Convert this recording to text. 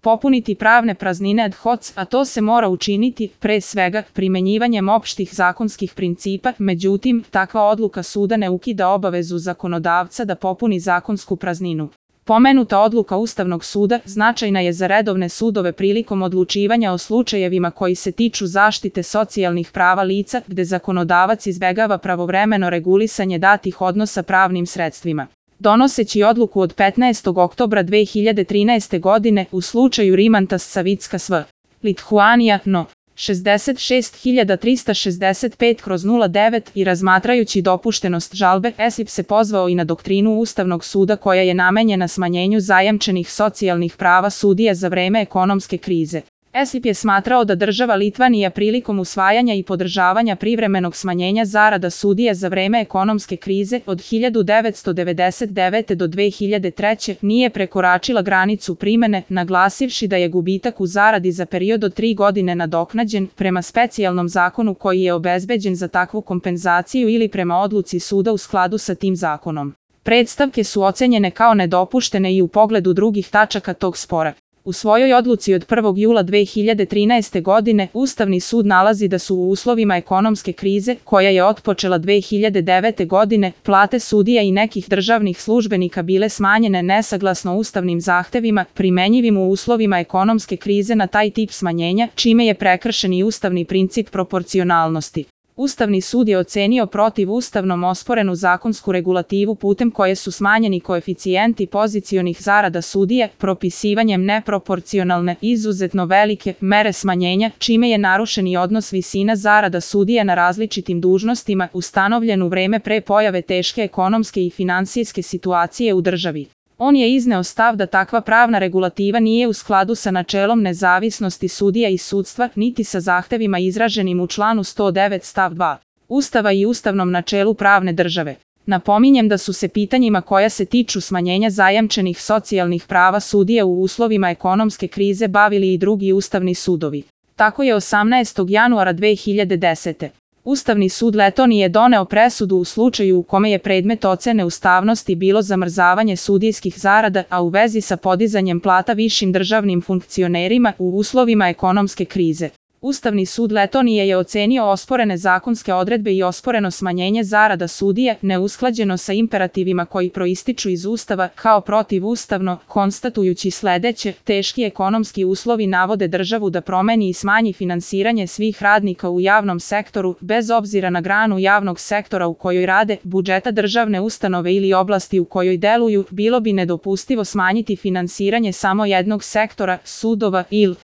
popuniti pravne praznine ad hoc, a to se mora učiniti, pre svega, primenjivanjem opštih zakonskih principa, međutim, takva odluka suda ne ukida obavezu zakonodavca da popuni zakonsku prazninu. Pomenuta odluka Ustavnog suda značajna je za redovne sudove prilikom odlučivanja o slučajevima koji se tiču zaštite socijalnih prava lica, gde zakonodavac izbegava pravovremeno regulisanje datih odnosa pravnim sredstvima. Donoseći odluku od 15. oktobra 2013. godine u slučaju Rimantas Savicka sv. Lithuania, no. 66.365/09 i razmatrajući dopuštenost žalbe, ESIP se pozvao i na doktrinu Ustavnog suda koja je namenjena smanjenju zajamčenih socijalnih prava sudija za vreme ekonomske krize. ESIP je smatrao da država Litvanija prilikom usvajanja i podržavanja privremenog smanjenja zarada sudija za vreme ekonomske krize od 1999. do 2003. nije prekoračila granicu primene, naglasivši da je gubitak u zaradi za period od 3 godine nadoknađen prema specijalnom zakonu koji je obezbeđen za takvu kompenzaciju ili prema odluci suda u skladu sa tim zakonom. Predstavke su ocenjene kao nedopuštene i u pogledu drugih tačaka tog spora. U svojoj odluci od 1. jula 2013. godine Ustavni sud nalazi da su u uslovima ekonomske krize, koja je otpočela 2009. godine, plate sudija i nekih državnih službenika bile smanjene nesaglasno ustavnim zahtevima, primenjivim u uslovima ekonomske krize na taj tip smanjenja, čime je prekršen i ustavni princip proporcionalnosti. Ustavni sud je ocenio protivustavnom osporenu zakonsku regulativu putem koje su smanjeni koeficijenti pozicionih zarada sudija, propisivanjem neproporcionalne, izuzetno velike mere smanjenja, čime je narušen i odnos visina zarada sudija na različitim dužnostima ustanovljen u vreme pre pojave teške ekonomske i finansijske situacije u državi. On je izneo stav da takva pravna regulativa nije u skladu sa načelom nezavisnosti sudija i sudstva, niti sa zahtevima izraženim u članu 109 stav 2 Ustava i ustavnom načelu pravne države. Napominjem da su se pitanjima koja se tiču smanjenja zajamčenih socijalnih prava sudija u uslovima ekonomske krize bavili i drugi ustavni sudovi. Tako je 18. januara 2010. Ustavni sud Letonije doneo presudu u slučaju u kome je predmet ocene ustavnosti bilo zamrzavanje sudijskih zarada, a u vezi sa podizanjem plata višim državnim funkcionerima u uslovima ekonomske krize. Ustavni sud Letonije je ocenio osporene zakonske odredbe i osporeno smanjenje zarada sudija, neusklađeno sa imperativima koji proističu iz Ustava, kao protivustavno, konstatujući sledeće: teški ekonomski uslovi navode državu da promeni i smanji finansiranje svih radnika u javnom sektoru, bez obzira na granu javnog sektora u kojoj rade, budžeta državne ustanove ili oblasti u kojoj deluju. Bilo bi nedopustivo smanjiti finansiranje samo jednog sektora, sudova ili